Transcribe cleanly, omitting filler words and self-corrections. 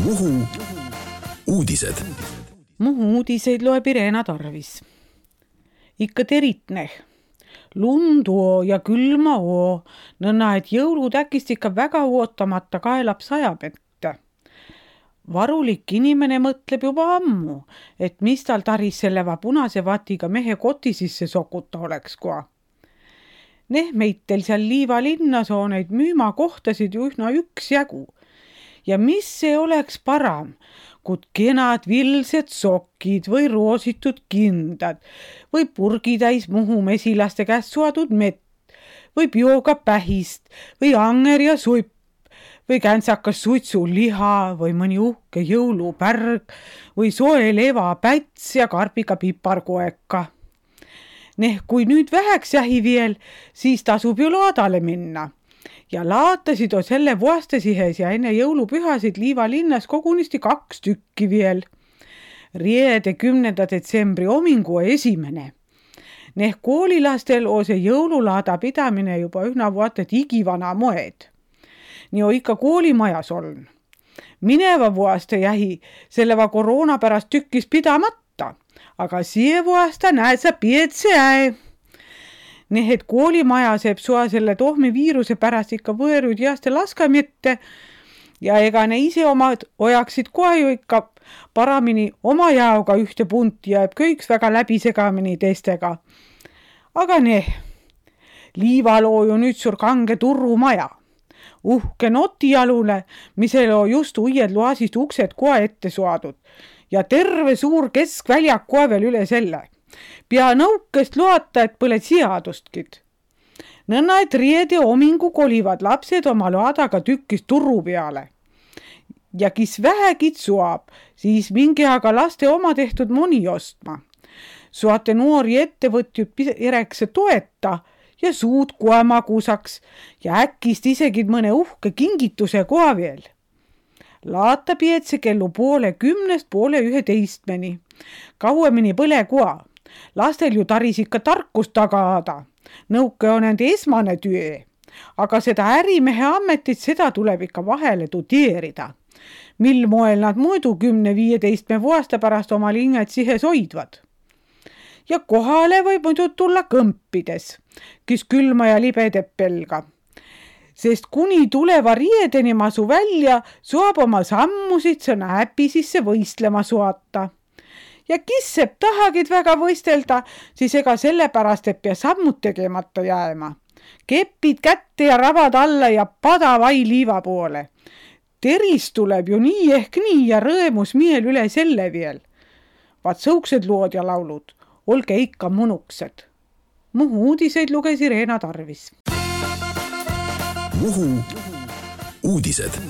Muhu uudised. Muhu uudiseid loeb Irena Tarvis. Ikka teritneh. Lundu ja külma oo, nõnna, et jõulud äkist ikka väga ootamata kaelab sajab ette. Varulik inimene mõtleb juba ammu, et mis tal taris selleva punase vatiga mehe koti sisse sokuta oleks koa. Meitel seal Liiva linnas on neid müümakohtasid ju üsna üksjagu. Ja mis see oleks param, kui kenad vilsed sokid või roositud kindad või purgitäis Muhu mesilaste käest suadud mett või bioga pähist või anger ja supp või käntsakas suitsuliha või mõni uhke jõulupärg või soe levapäts ja karbiga piparkoeka. Kui nüüd väheks jähi veel, siis tasub ju laadale minna. Ja laatasid on selle vuastesihes ja enne jõulupühasid Liiva linnas kogunisti 2 tükki veel. Riede 10. detsembri homingu esimene. Koolilastel on see jõululaada pidamine juba üsna vuotet igivana moed. Nii on ikka koolimajas on. Mineva vuaste jähi selleva koroona pärast tükkis pidamata, aga siie vuasta näed sa pietse äe. Et koolimaja seeb sua selle tohmiviiruse pärast ikka võõrud jääste laskamiette ja ega ne ise omad ojaksid kohe ju ikka paramini oma jaoga ühte punti ja kõiks väga läbisegamini teistega. Aga Liival on ju nüüd sur kange turrumaja. Uhke notijalule, misel on just uied loasist uksed kohe ette suadud ja terve suur keskväljak kohe veel üle selle. Pea nõukest loata, et põle seadustkid. Nõnna, et riede homingu kolivad lapsed oma loadaga tükkis turru peale. Ja kis vähegid suab, siis minge aga laste oma tehtud moni ostma. Suate noori ettevõtjud erekse toeta ja suud kohe magusaks ja äkist isegi mõne uhke kingituse koha veel. Laata pietse kellu 10:30, 10:11. Kauemini põle koha. Lastel ju taris ikka tarkust tagaada. Nõuke on nende esmane töö. Aga seda ärimehe ametit, seda tuleb ikka vahele tudeerida. Mil moel nad muidu 10-15 vuosta pärast oma linjad sihes hoidvad. Ja kohale võib muidu tulla kõmpides, kes külma ja libedeb pelga. Sest kuni tuleva riedeni masu välja, suab oma sammusid sõna äpi sisse võistlema suata. Ja kisseb tahagid väga võistelda, siis ega sellepärast, et pea sammud tegemata jääma. Kepid kätte ja ravad alla ja pada vai Liiva poole. Teris tuleb ju nii ehk nii ja rõemus miel üle selle veel. Vaat sõuksed lood ja laulud, olge ikka munuksed. Muhu uudiseid luges Irena Tarvis. Muhu uudised.